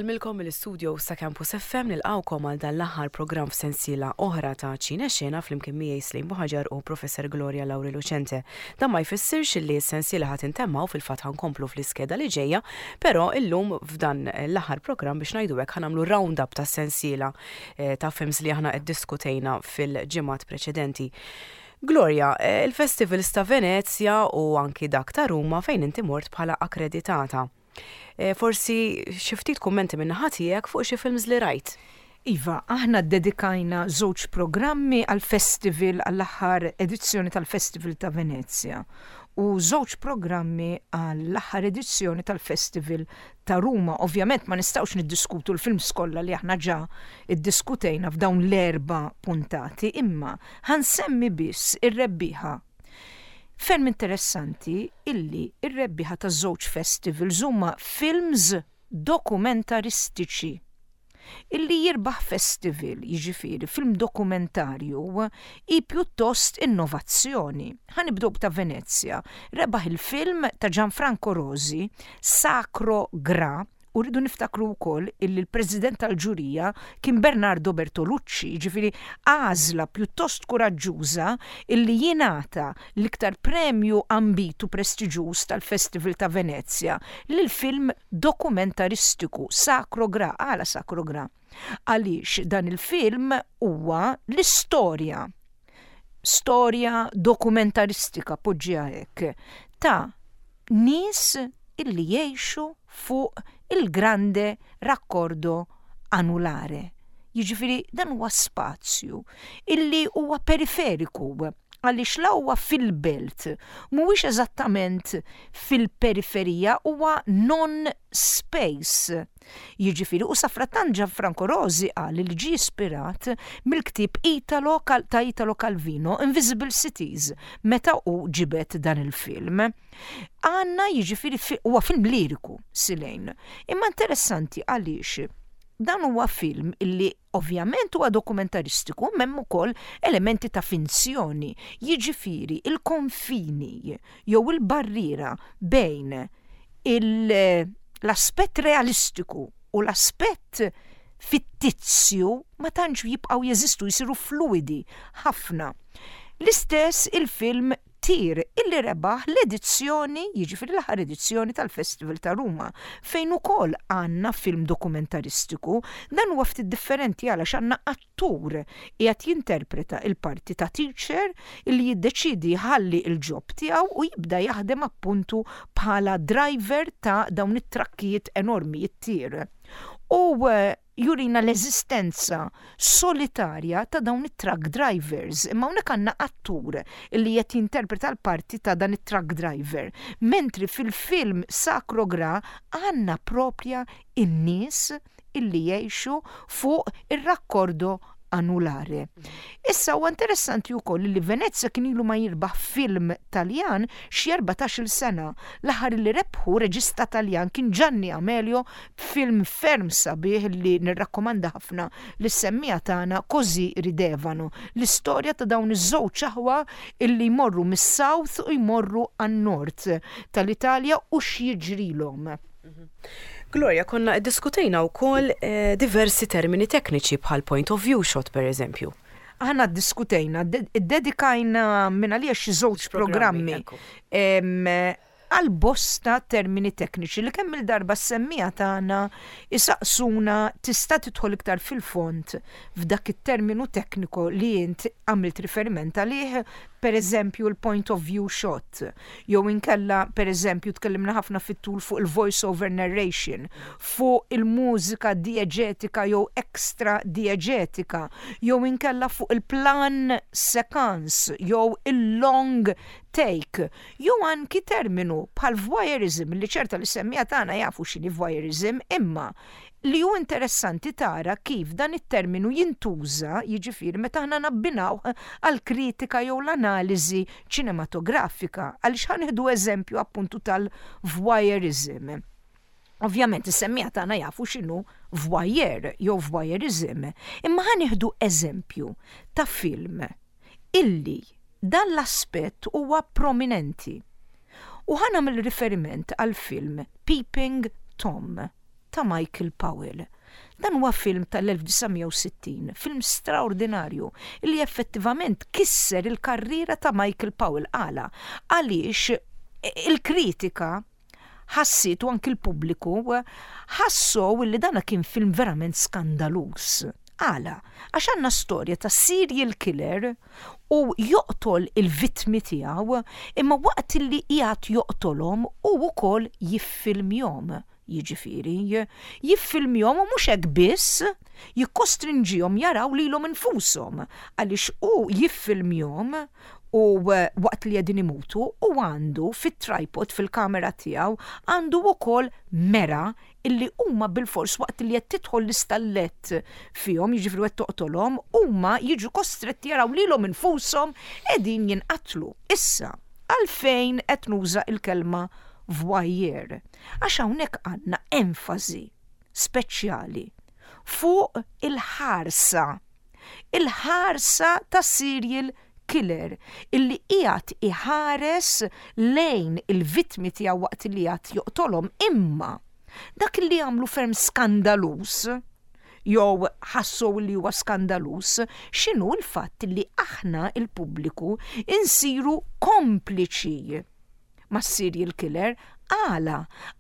Insellmilkom mill-istudio sa Campus FM nilqgħukom għal dan l-aħħar programm f'sensiela oħra ta' Ċine Xena flimkien miegħi Slim Buħaġar u Professor Gloria Lauri Lucente. Dan ma jfissirx li s-sensiela ħa tintemm hawn fil-fatt ħa nkomplu fl-iskeda li ġejja, però illum f'dan l-aħħar programm biex ngħidu hekk ħa nagħmlu round-up tas-sensiela eh, ta' films li aħna ddiskutejna fil-ġimgħat preċedenti. Gloria, eh, il-festivals ta' Venezja u anki dak ta' Ruma fejn inti mort bħala akkreditata. Eh, forsi xi ftit kummenti minn naħa tiegħek fuq xi films li rajt. Iva, aħna ddedikajna żewġ programmi għall-festival għall-aħħar edizzjoni tal-Festival ta' Venezja u żewġ programmi għall-aħħar edizzjoni tal-Festival ta' Ruma. Ovvjament ma nistgħux niddiskutu l-films kollha li aħna ġa iddiskutejna f'dawn l-erba' puntati, imma ħa nsemmi biss ir-rebbieħa. Ferm interessanti illi r-rebbieħa taż-żewġ festivals huma films dokumentaristiċi. Illi jirbaħ festival, jiġifieri film dokumentarju, hi pjuttost innovazzjoni. Ħa nibdew b'ta' Venezja. Rebaħ il-film ta' Gianfranco Rosi, Sacro Gra, u rridu niftakru wkoll illi l-President tal-ġurija kien Bernardo Bertolucci, jiġifieri għażla pjuttost kuraġġuża illi jingħata l-iktar premju ambitu prestiġuż tal-Festival ta' Venezja lil film dokumentaristiku, Sacro Gra. Għala Sacro Gra? Għaliex dan il-film huwa l-istorja, storja dokumentaristika, poġġiha hekk, ta' nies illi jgħixu fuq il-Grande Raccordo Anulare. Jiġifieri dan huwa spazju illi huwa periferiku għaliex la huwa fil-belt, mhuwiex eżattament fil-periferija, huwa non-space. Jiġifieri, u safrattant Gianfranco Rosi qal li ġie ispirat mill-ktieb Italo ta' Italo Calvino, Invisible Cities, meta hu ġibed dan il-film. Għandna jiġifieri huwa film liriku, Silejn. Imma interessanti għaliex dan huwa film illi Ovvjament huwa dokumentaristiku imma hemm ukoll elementi ta' finzjoni, jiġifieri l-konfini jew il-barriera bejn l-aspett realistiku u l-aspett fittizju ma tantx jibqgħu jeżistu, jsiru fluwidi ħafna. L-istess il-film Tir illi rebaħ l-edizzjoni, jiġifieri l-aħħar edizzjoni tal-Festival ta' Ruma, fejn ukoll għandna film dokumentaristiku. Dan huwa ftit differenti għalax għandna attur qiegħed jinterpreta l-parti ta' teacher illi jiddeċiedi jħalli l-job tiegħu u jibda jaħdem appuntu bħala driver ta' dawn it-trakkijiet enormi, it-tir. U jurina l-eżistenza solitarja ta' dawn it-truck drivers. Imma hawnhekk għandna attur li qed jinterpreta l-parti ta' dan it-truck driver. Mentri fil-film Sacro Gra għandna proprja in-nies illi jgħixu fuq ir-raccordo anulare. Issa huwa interessanti wkoll li Venezia kien ilu ma jirbaħ film Taljan xi 14-il sena. L-aħħar li rebħu reġista Taljan kien Gianni Amelio b'film ferm sabiħ li nirrakkomanda ħafna lis-semmiegħa tagħna Così ridevano, l-istorja ta' dawn iż-żewġ aħwa illi jmorru mis-South u jmorru għan-North tal-Italja u x'jiġrilhom. Gloria, konna iddiskutejna wkoll eh, diversi termini tekniċi bħal point of view shot per eżempju. Aħna ddiskutejna, iddedikajna minn għalija xi żewġ programmi għal bosta termini tekniċi li kemm il-darba s-semmiegħa tagħna isaqsuna tista' tidħol iktar fil-fond f'dak it-terminu tekniku li int għamilt riferiment għalih, per eżempju l-point of view shot, jew inkella per eżempju tkellimna ħafna fit-tul fuq il-voice over narration, fuq il-mużika dieġetika jew extra dieġetika, jew inkella fuq il-plan séquence jew il-long take, jew anki terminu bħal voyeurism li ċerta li semmiegħa tagħna jafu x'inhi voyeurism imma li hu interessanti tara kif dan it-terminu jintuża, jiġifieri meta aħna nabbinawh għall-kritika jew l-analiżi ċinematografika, għaliex ħa nieħdu eżempju appuntu tal-voyeurism. Ovvjament is-semmiegħa tagħna jafu x'inhu voyeur jew voyeurism, imma ħa nieħdu eżempju ta' film illi dan l-aspett huwa prominenti. U ħa nagħmel riferiment għall-film Peeping Tom. ta' Michael Powell. Dan huwa film tal-1960, film straordinarju li effettivament kisser il-karriera ta' Michael Powell. Għala? Għaliex il-kritika ħassiet u anki l-pubbliku ħassow li dana kien film verament skandaluż. Għala? Għax għandna storja ta' serial killer u joqtol il-vittmi tiegħu, imma waqt li qiegħed joqtolhom hu wkoll jiffilmjhom. Jiġifieri, jiffilmjhom u mhux hekk biss, jikkostrinġihom jaraw lilhom infushom għaliex hu jiffilmjhom u waqt li qegħdin imutu u għandu fit-tripod fil-kamera tiegħu għandu wkoll mera illi huma bilfors waqt li qed tidħol l-istallett fihom, jiġifieri qed toqtolhom, huma jiġu kostretti jaraw lilhom infushom qegħdin jinqatlu. Issa, għalfejn qed nuża l-kelma voyeur? Għax hawnhekk għandna enfasi speċjali fuq il-ħarsa il-ħarsa ta' serial killer illi qiegħed iħares lejn il-vittmi tiegħu waqt li qiegħed joqtolhom imma dak li għamlu ferm skandaluż jew ħassu li huwa skandaluż x'inhu l-fatt li aħna il-pubbliku insiru kompliċi mas-serial killer. Għala?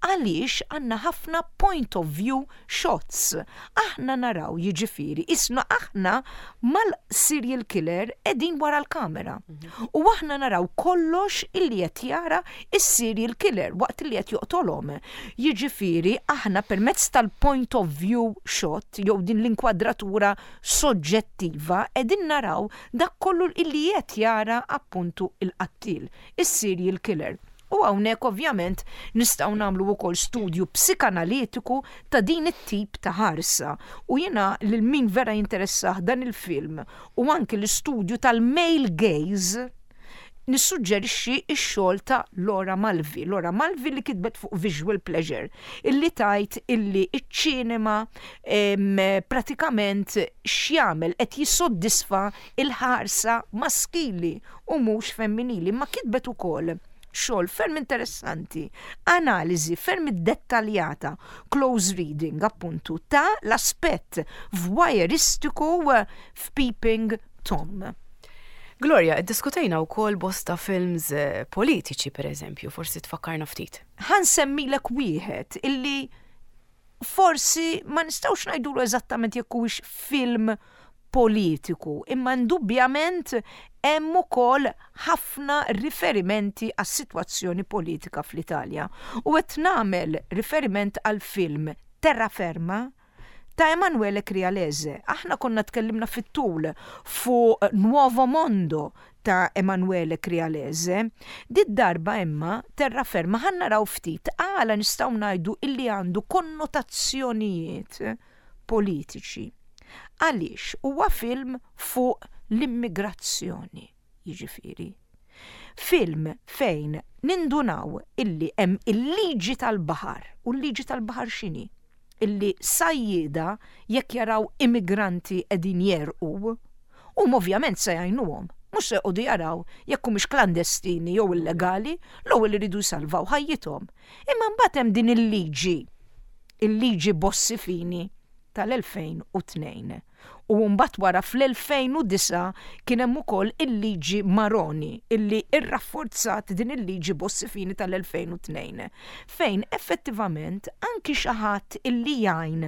Għaliex għandna ħafna point of view shots. Aħna naraw jiġifieri isna aħna mal-serial killer qegħdin wara l-kamera. U aħna naraw kollox illi qed jara is-serial killer waqt li qed joqtolhom. Jiġifieri aħna permezz tal-point of view shot jew din l-inkwadratura soġġettiva qegħdin naraw dak kollu illi qed jara appuntu il-qattil, is-serial killer. U hawnhekk ovvjament nistgħu nagħmlu wkoll studju psikanalitiku ta' din it-tip ta' ħarsa. U jiena lil min vera jinteressah dan il-film u anki l-istudju tal-male gaze nissuġġerixxi x-xogħol ta' Laura Mulvey. Laura Mulvey li kitbet fuq Visual Pleasure, illi tgħid illi iċ-ċinema pratikament x'jagħmel qed jissoddisfa il-ħarsa maskili u mhux femminili. Ma kitbet ukoll xogħol ferm interessanti, analiżi ferm dettaljata, close reading appuntu ta' l-aspett voyeuristiku f'Peeping Tom. Gloria, iddiskutejna wkoll bosta films politiċi per eżempju, forsi tfakkarna ftit. Ħa nsemmilek wieħed illi forsi ma nistgħux ngħidulu eżattament jekk huwiex film politiku, imma indubjament hemm ukoll ħafna riferimenti għas-sitwazzjoni politika fl-Italja. U qed nagħmel riferiment għal film Terraferma ta' Emanuele Crialese. Aħna konna tkellimna fit-tul fuq Nuovo Mondo ta' Emanuele Crialese. Did darba imma Terraferma ħa naraw ftit għala nistgħu ngħidu illi għandu konnotazzjonijiet politiċi. Għaliex huwa film fuq l-immigrazzjoni, jiġifieri. Film fejn nindunaw illi hemm il-liġi tal-baħar, u l-liġi tal-baħar x'inhi? Illi sajjieda jekk jaraw immigranti qegħdin jegħrqu, huma ovvjament se jgħinuhom. Mhux se joqogħdu jaraw jekk humiex klandestini jew illegali, l-ewwel iridu jsalvaw ħajjithom. Imma mbagħad hemm din il-liġi, il-liġi Bossi Fini tal-2002. U mbagħad wara fl-2009 kien hemm ukoll il-liġi Maroni illi irrafforzat din il-liġi Bossi Fini tal-2002 fejn effettivament anki xi ħadd illi jgħin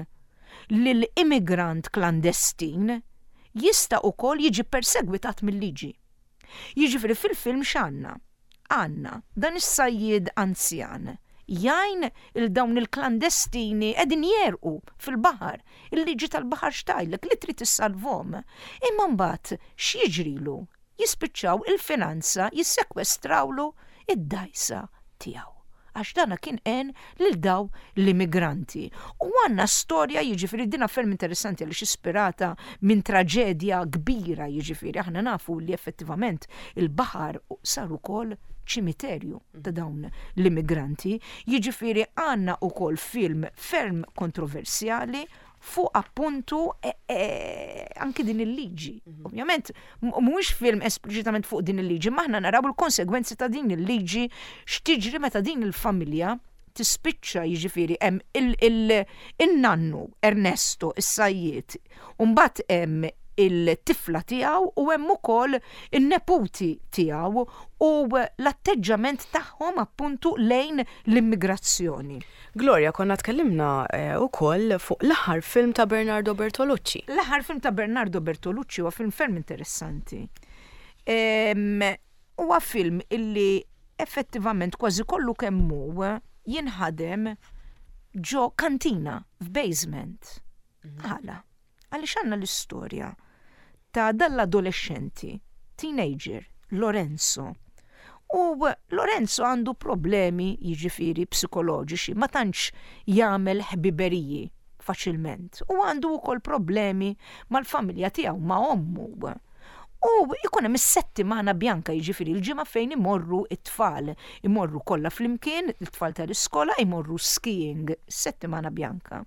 lil immigrant klandestin jista' ukoll jiġi persegwitat mill-liġi. Jiġifieri fil-film x'għandna? Għandna dan is-sajjied anzjan jgħin il dawn il-klandestini qegħdin jegħrqu fil-baħar. Il-liġi tal-baħar x'tgħidlek li trid issalvhom. Imma mbagħad x'jiġrilu? Jispiċċaw il-finanza jissekwestrawlu id-dgħajsa tiegħu. Għax dana kien għen lil daw l-immigranti. U għandna storja jiġifieri dina ferm interessanti għaliex ispirata minn traġedja kbira jiġifieri aħna nafu li effettivament il-baħar sar ukoll ċimiterju ta' dawn l-immigranti. Jiġifieri għandna ukoll film ferm kontroversjali fuq appuntu e, e, anki din il-liġi. Ovvjament, mhuwiex film espliċitament fuq din il-liġi, ma aħna naraw il-konsegwenzi ta' din il-liġi x'tiġri meta din il-familja. Tispiċċa jiġifieri hemm il-nannu Ernesto is-sajjied u mbagħad hemm il-tifla tiegħu u hemm ukoll in-neputi tiegħu u l-atteġġament tagħhom appuntu lejn l-immigrazzjoni. Gloria, konna tkellimna wkoll fuq l-aħħar film ta' Bernardo Bertolucci. L-aħħar film ta' Bernardo Bertolucci huwa film ferm interessanti. Huwa film illi effettivament kważi kollu kemm hu jinħadem ġo kantina, f'basement. Għala? Għaliex għandna l-istorja ta' dal-adolexxenti, teenager, Lorenzo. U Lorenzo għandu problemi jiġifieri psikoloġiċi, ma tantx jagħmel ħbiberiji faċilment. U għandu wkoll problemi mal-familja tiegħu, ma' ommu. U jkun hemm is-settimana bjanka jiġifieri l-ġimgħa fejn imorru t-tfal, imorru kollha flimkien, it-tfal tal-iskola imorru skiing, settimana bjanka.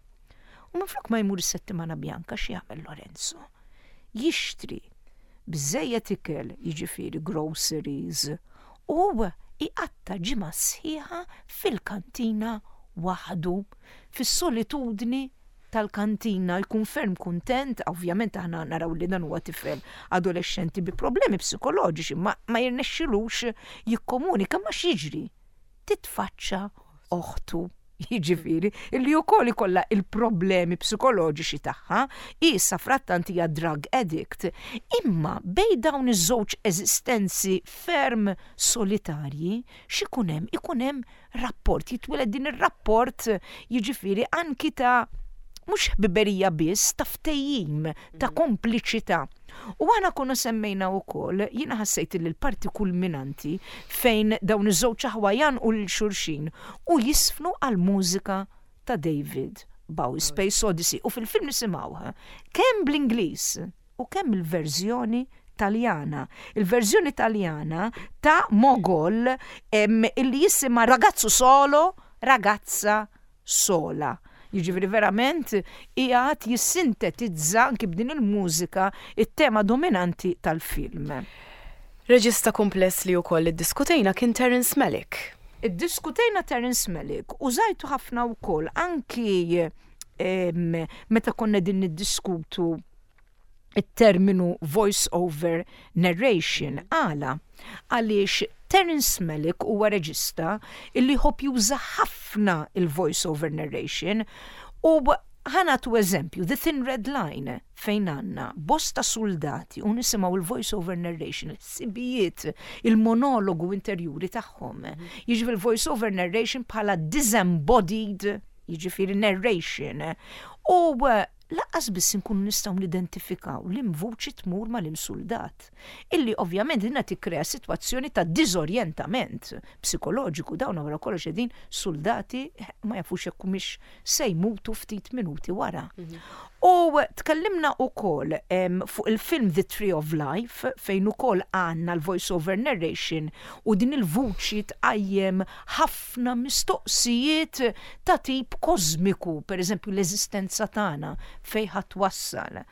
U minflok ma jmur is-settimana bjanka x'jagħmel Lorenzo? Jixtri biżejjed ikel, jiġifieri groceries, u iqatta' ġimgħa sħiħa fil-kantina waħdu, fis-solitudni tal-kantina, jkun ferm kuntent, ovvjament aħna naraw li dan huwa tifel adolexxenti bi problemi psikoloġiċi, ma, ma jirnexxilux jikkomunika ma x'jiġri. Titfaċċa oħtu jiġifieri illi wkoll ikollha il-problemi psikoloġiċi tagħha, hi safrattant hija drug addict. Imma bejn dawn iż-żewġ eżistenzi ferm solitarji, x'ikun hemm? Ikun hemm rapport, jitwieled din ir-rapport jiġifieri anki ta' mhux ħbiberija biss, ta' ftehim, ta' kompliċità. U aħna konna semmejna wkoll, jiena ħassejt li l-parti kulminanti fejn dawn iż-żewġ aħwa jgħannqu lil xulxin u jiżfnu għall-mużika ta' David Bowie, Space Odyssey, u fil-film nisimgħuha kemm bl-Ingliż u kemm il-verżjoni Taljana. Il-verżjoni Taljana ta' Mogol illi jisimha Ragazzo Solo, Ragazza sola. Jiġifieri verament qiegħed jissintetizza anki b'din il-mużika it-tema dominanti tal-film. Reġista kumpless li wkoll iddiskutejna kien Terence Malick. Iddiskutejna Terence Malick, użajtu ħafna wkoll anki meta konna qegħdin niddiskutu it-terminu voice over narration. Għala? Għaliex Terence Malick huwa reġista illi jħobb juża ħafna il-voice over narration u ħa nagħtu eżempju, The Thin Red Line fejn għandna bosta suldati u nisimgħu il-voice over narration, il-ħsibijiet, il-monologu interjuri tagħhom. Jiġifieri il-voice over narration bħala disembodied, jiġifieri narration. U Lanqas biss inkunu nistgħu nidentifikaw liem vuċi tmur ma' liem suldat. Illi ovvjament dinha tikkrea sitwazzjoni ta' diżorjentament psikoloġiku, dawn wara kollox qegħdin suldati ma jafux jekk humiex se jmutu ftit minuti wara. U tkellimna wkoll fuq il-film The Tree of Life fejn ukoll għandna l-voice over narration u din il-vuċi tqajjem ħafna ħafna mistoqsijiet ta' tip kożmiku, pereżempju l-eżistenza tagħna fejn ħa twassal,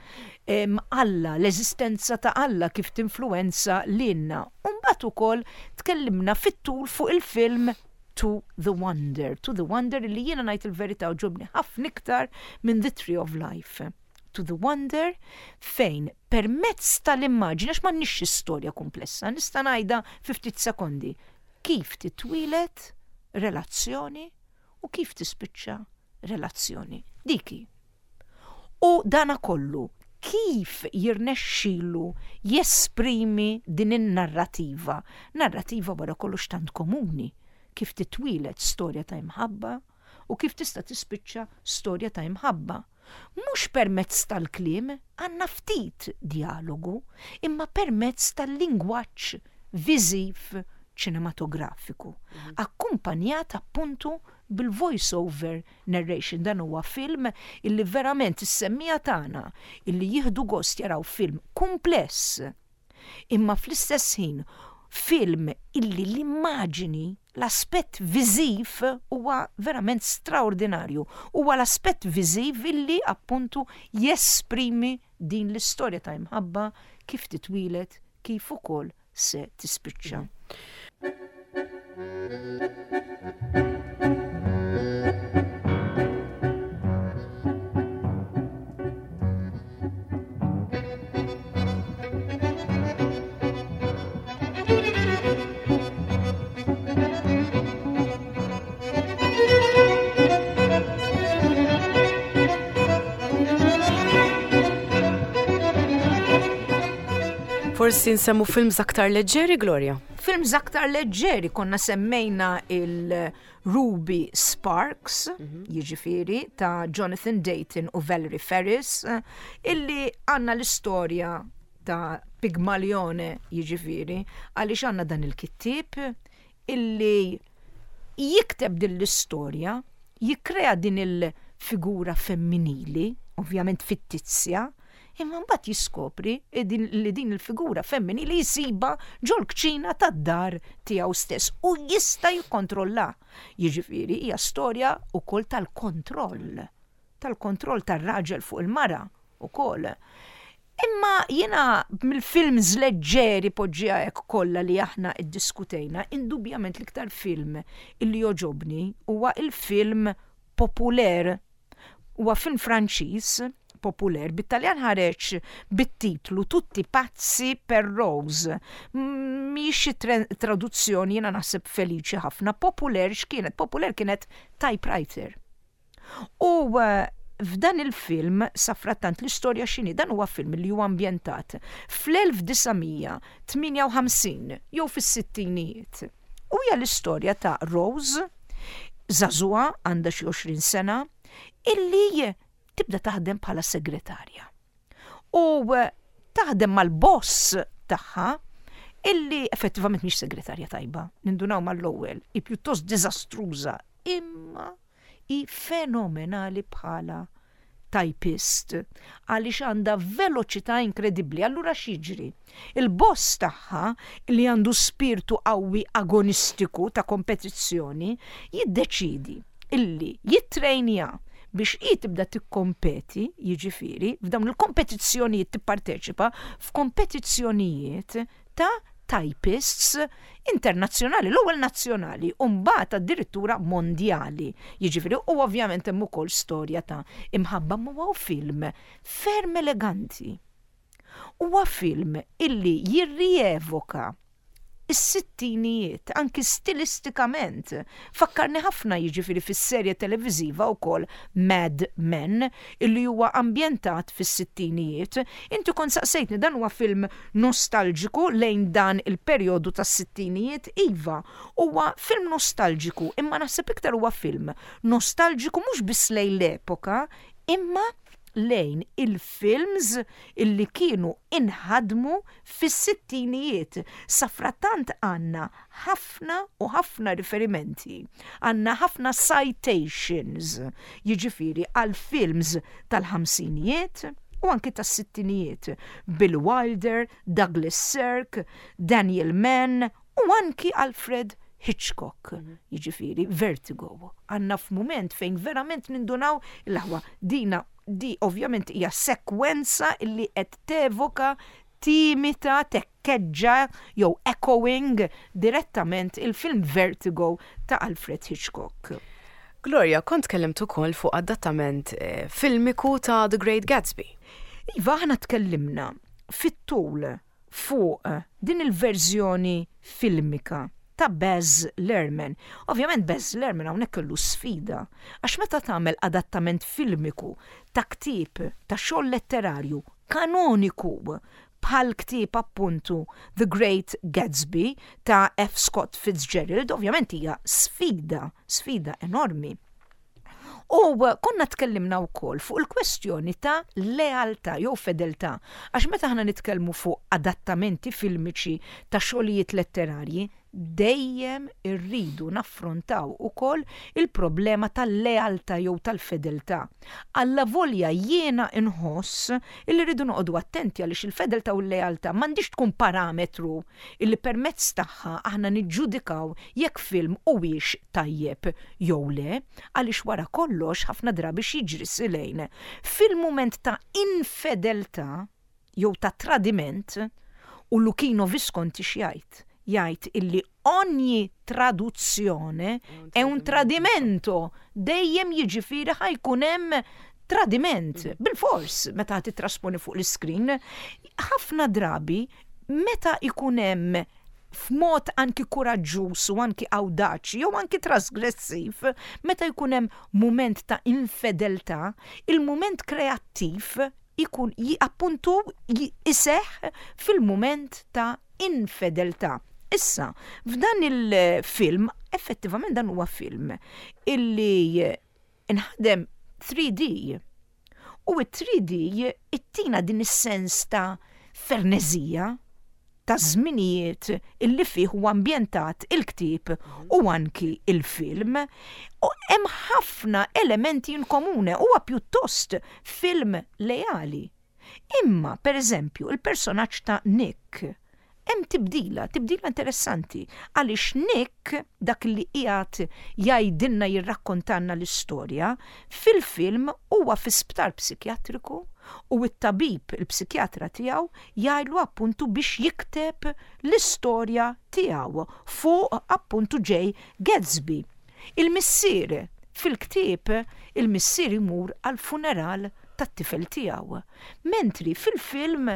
Alla, l-eżistenza ta' Alla kif tinfluwenza lilna. U mbagħad ukoll tkellimna fit-tul fuq il-film To the Wonder, To the Wonder li jiena ngħid il-verità għoġobni ħafna iktar minn The Tree of Life. To the Wonder fejn permezz tal-immaġni, għax m'għandniex xi storja kumplessa, nista' ngħidha fi ftit sekondi, kif titwieled relazzjoni u kif tispiċċa relazzjoni. Dik hi. U dana kollu kif jirnexxilu jesprimi din in-narrativa, narrativa wara kollox tant komuni, kif titwieled storja ta' imħabba u kif tista' tispiċċa storja ta' imħabba. Mhux permezz tal-kliem, għandna ftit djalogu, imma permezz tal-lingwaġġ viżiv ċinematografiku, akkumpanjat appuntu bil-voice over narration. Dan huwa film illi verament is-semmiegħa tagħna illi jieħdu gost jaraw film kumpless, imma fl-istess ħin film illi l-immaġini, l-aspett viżiv huwa verament straordinarju. Huwa l-aspett viżiv illi appuntu jesprimi din l-istorja ta' imħabba kif titwieled kif ukoll se tispiċċa. Forsi nsemmu films aktar leġġeri, Gloria? Films aktar leġġeri konna semmejna il-Ruby Sparks, jiġifieri ta' Jonathan Dayton u Valerie Faris, illi għandna l-istorja ta' Pigmalione jiġifieri, għaliex għandna dan il-kittieb illi jikteb din l-istorja, jikkrea din il-figura femminili, ovvjament fittizja, imma mbagħad jiskopri li din il-figura femminili jsibha ġol-kċina tad-dar tiegħu stess u jista' jikkontrollaha. Jiġifieri hija storja wkoll tal-kontroll, tal-kontroll tar-raġel fuq il-mara wkoll. Imma jiena mill-films leġġeri poġġiha hekk kollha li aħna iddiskutejna, indubjament l-iktar film illi jogħġobni huwa il-film Populaire. Huwa film Franċiż, Populaire, bit-Taljan ħareġ bit-titlu Tutti pazzi per Rose. Mhijiex xi traduzzjoni jiena naħseb feliċi ħafna. Populaire x'kienet? Populaire kienet typewriter. U f'dan il-film, safrattant l-istorja x'inhi, dan huwa film li huwa ambjentat fl-1958 jew fis-sittinijiet. U hija l-istorja ta' Rose, żagħżugħa għandha xi 20 sena, illi tibda taħdem bħala segretarja. U taħdem mal-boss tagħha illi effettivament mhix segretarja tajba, nindunaw mal-ewwel, hi pjuttost diżastruża, imma hi fenomenali bħala typist għaliex għandha veloċità inkredibbli. Allura x'jiġri? Il-boss tagħha li għandu spirtu qawwi agonistiku ta' kompetizzjoni jiddeċiedi illi jittrejnja biex hi tibda tikkompeti, jiġifieri f'dawn il-kompetizzjonijiet tipparteċipa f'kompetizzjonijiet ta' typists internazzjonali, l-ewwel nazzjonali u mbagħad addirittura mondjali. Jiġifieri u ovvjament hemm ukoll storja ta' imħabba ma huwa film ferm eleganti. Huwa film illi jirrievoka is-sittinijiet, anki stilistikament. Fakkarni ħafna jiġifieri fis-serje televiżiva wkoll Mad Men illi huwa ambjentat fis-sittinijiet. Inti kont saqsejtni dan huwa film nostalġiku lejn dan il-perjodu tas-sittinijiet? Iva, huwa film nostalġiku imma naħseb iktar huwa film nostalġiku mhux biss lejn l-epoka imma lejn il-films illi kienu inħadmu fis-sittinijiet. Safrattant għandna ħafna u ħafna riferimenti, għandna ħafna citations, jiġifieri għal films tal-ħamsinijiet u anki tas-sittinijiet, Bill Wilder, Douglas Sirk, Daniel Mann u anki Alfred Hitchcock, jiġifieri Vertigo. Għandna f'mument fejn verament nindunaw l-aħwa dina di ovvjament hija sekwenza illi qed tevoka timita, tekkeġġa jew echoing direttament il-film Vertigo ta' Alfred Hitchcock. Gloria, kont tkellimt ukoll fuq adattament eh, filmiku ta' The Great Gatsby. Iva, aħna tkellimna fit-tul fuq din il-verżjoni filmika ta' Baz Luhrmann. Ovvjament Baz Luhrmann hawnhekk kellu sfida għax meta tagħmel adattament filmiku ta' ktieb ta' xogħol letterarju kanoniku bħal ktieb appuntu The Great Gatsby ta' F. Scott Fitzgerald, ovvjament hija sfida, sfida enormi. U konna tkellimna wkoll fuq il-kwestjoni ta' lealtà jew fedeltà, għax meta aħna nitkellmu fuq adattamenti filmiċi ta' xogħlijiet letterarji, dejjem irridu naffrontaw ukoll il-problema tal-lealtà jew tal-fedeltà. Allavolja jiena nħoss illi rridu noqogħdu attenti għaliex il-fedeltà u l-lealtà m'għandhiex tkun parametru illi permezz tagħha aħna niġġudikaw jekk film huwiex tajjeb jew le, għaliex wara kollox ħafna drabi x'jiġri Silejn? Fil-mument ta' infedeltà jew ta' tradiment, u Luchino Visconti x'jgħid? Jgħid illi ogni traduzione è un tradimento, dejjem jiġifieri ħa jkun hemm tradiment, bilfors meta titrasponi fuq l-iskrin. Ħafna drabi meta jkun hemm f'mod anki kuraġġuż u anki awdaċi jew anki trasgressiv, meta jkun hemm mument ta' infedeltà, il-mument kreattiv. Ikun appuntu iseħħ fil-mument ta' infedeltà. Issa, f'dan il-film, effettivament dan huwa film illi inħadem 3D. U it-3D ittina din is-sens ta' fernezija ta' żminijiet illi fih huwa ambjentat il-ktieb u anki il-film. U hemm ħafna elementi in komune, huwa pjuttost film leali. Imma, per eżempju, il-personaġġ ta' Nick, hemm tibdila, tibdila interessanti, għaliex Nick, dak li qiegħed jgħidilna jirrakkontalna l-istorja, fil-film huwa fi sptar psikjatriku u t-tabib, il-psikjatra tiegħu, jgħidlu appuntu biex jikteb l-istorja tiegħu fuq appuntu Jay Gatsby. Il-missier, fil-ktieb, il-missier imur għall-funeral tat-tifel tiegħu, mentri fil-film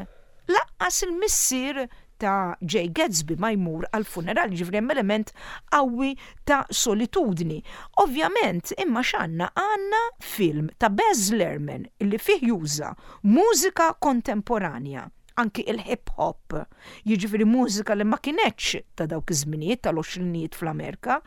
lanqas il-missier ta' Jay Gatsby ma jmur għall-funeral, jiġifieri hemm element qawwi ta' solitudni. Ovvjament, imma x'għandna? Għandna film ta' Baz Luhrmann illi fih juża mużika kontemporanja, anki il-hip hop, jiġifieri mużika li ma kinetx ta' dawk iż-żminijiet tal-għoxrinijiet fl-Amerika,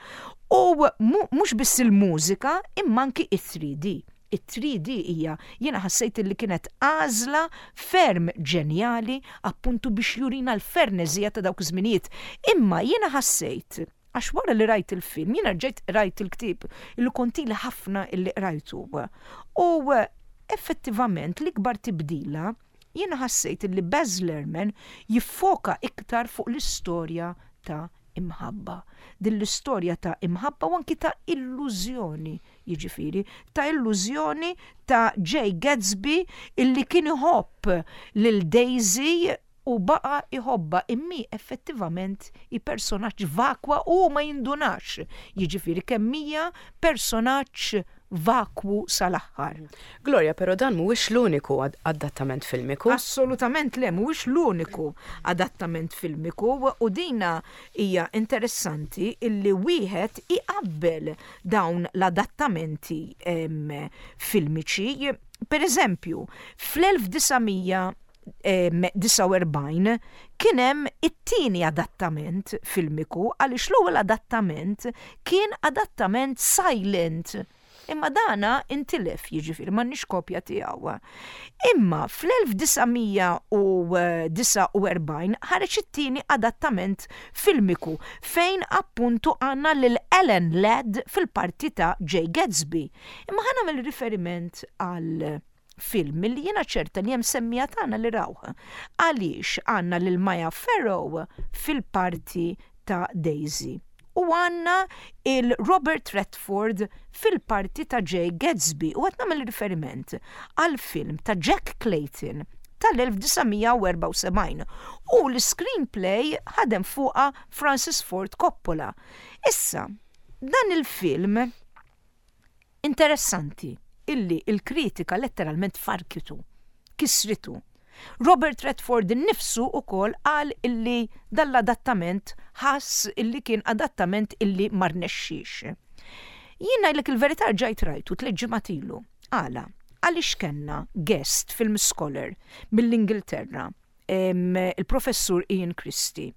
u mhux biss il-mużika imma anki it-3D. It-3D hija, jiena ħassejt illi kienet għażla ferm ġenjali appuntu biex jurina l-ferneżija ta' dawk iż-żminijiet. Imma jiena ħassejt, għax wara li rajt il-film, jiena rġajt qrajt il-ktieb illi kont ili ħafna illi qrajtu. U effettivament l-ikbar tibdila jiena ħassejt illi Baz Luhrmann jiffoka iktar fuq l-istorja ta' imħabba. Din l-istorja ta' imħabba u anki ta' illużjoni, jiġifieri, ta' illużjoni ta' Jay Gatsby illi kien iħobb lil Daisy u baqa' iħobbha imma hi effettivament hi personaġġ vakwa u hu ma jindunax, jiġifieri kemm hija personaġġ vakwu sal-aħħar. Gloria, però dan mhuwiex l-uniku adattament filmiku. Assolutament le, mhuwiex l-uniku adattament filmiku u dina hija interessanti illi wieħed iqabbel dawn l-adattamenti filmiċi. Per eżempju, fl-1949 kien hemm it-tieni adattament filmiku għaliex l-ewwel adattament kien adattament silent. Imma dana intilef, jiġifieri m'għandniex kopja tiegħu. Imma fl-1949 ħareġ it-tieni adattament filmiku fejn appuntu għandna lil Alan Ladd fil-parti ta' Jay Gatsby. Imma ħa nagħmel riferiment għal film li jiena ċerta li hemm semmiegħa tagħna li rawh. Għaliex għandna lil Maya Farrow fil-parti ta' Daisy u għandna il Robert Redford fil-parti ta' Jay Gatsby u qed nagħmel riferiment għal film ta' Jack Clayton tal-1974 u l-screenplay ħadem fuqha Francis Ford Coppola. Issa, dan il-film Interessanti illi l-kritika letteralment farkitu, kissritu. Robert Redford innifsu ukoll qal illi dan l-adattament ħass illi kien adattament illi ma rnexxiex. Jien ngħidlek il-verità rġajt rajtu tlett ġimgħat ilu. Għala? Għaliex kellna guest film scholar mill-Ingilterra il-Professur Ian Christie,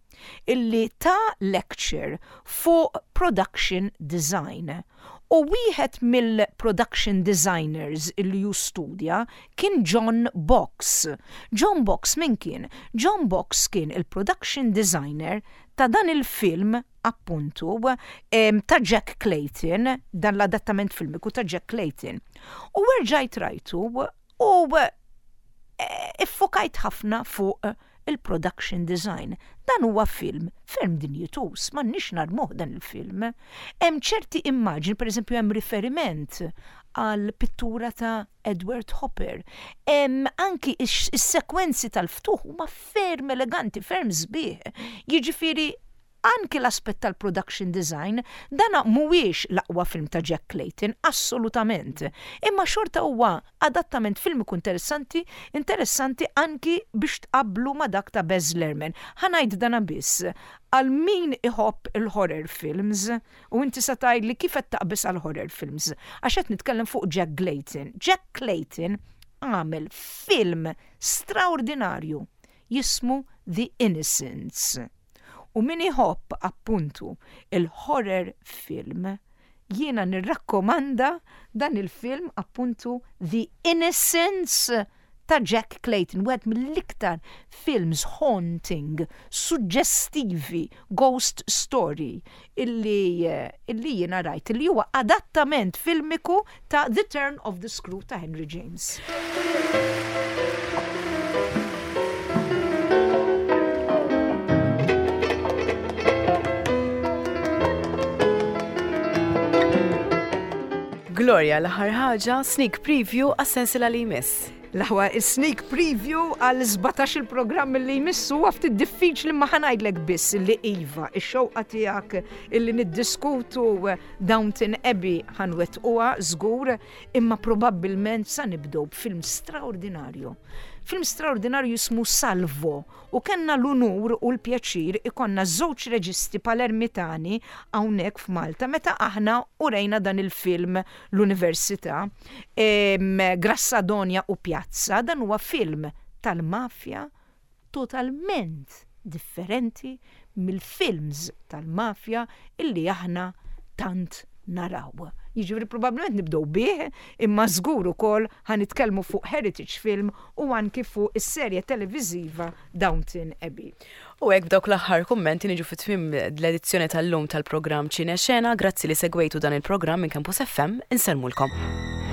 illi ta lecture fuq production design. U wieħed mill-production designers illi hu studja kien John Box. John Box min kien? John Box kien il-production designer ta' dan il-film appuntu ta' Jack Clayton, dan l-adattament filmiku ta' Jack Clayton. U erġajt rajtu U iffokajt ħafna fuq il-production design. Dan huwa film ferm dinjituż, m'għandniex narmuh dan il-film. Hemm ċerti immaġni, pereżempju hemm riferiment għal pittura ta' Edward Hopper. Hemm anki is-sekwenzi tal-ftuħ huma ferm eleganti, ferm sbieħ. Jiġifieri Anki l-aspett tal-production design, dana mhuwiex l-aqwa film ta' Jack Clayton, assolutament. Imma xorta huwa adattament filmiku interessanti, interessanti anki biex tqabblu ma' dak ta' Baz Luhrmann. Ħa ngħid dana biss, għal min iħobb il-horror films, u inti sa tgħidli kif qed taqbeż għall-horror films, għax qed nitkellem fuq Jack Glayton. Jack Clayton. għamel film straordinarju jismu The Innocents. U min iħobb appuntu il-horror film, jiena nirrakkomanda dan il-film appuntu The Innocents ta' Jack Clayton, wieħed mill-iktar films haunting, suġġestivi, ghost story illi illi jiena rajt, illi huwa adattament filmiku ta' The Turn of the Screw ta' Henry James. Gloria, l-aħħar ħaġa, sneak preview għas-sensiela li jmiss. L-aħwa sneak preview għal 17 il-programm li jmissu huwa ftit diffiċli ma ħanajdlek biss li iva, ix-xewqa tiegħek illi niddiskutu Downton Abbey ħanwettquha żgur, imma probabbilment sa nibdew b'film straordinarju. Film straordinarju jismu Salvo U kellna l-unur u l-pjaċir ikollna żewġ reġisti Palermitani hawnhekk f'Malta meta aħna urejna dan il-film l-Università, Grassadonia u Piazza. Dan huwa film tal-mafja totalment differenti mill-films tal-mafja illi aħna tant naraw. Jiġifieri probabbilment nibdew bih, imma żgur ukoll ħa nitkellmu fuq Heritage Film u anki fuq is-serje televiżiva Downton Abbey. U hekk b'dawk l-aħħar kummenti niġu fi tmiem l-edizzjoni tal-lum tal-programm Ċine Xena. Grazzi li segwejtu dan il-programm minn Campus FM. Insellmulkom.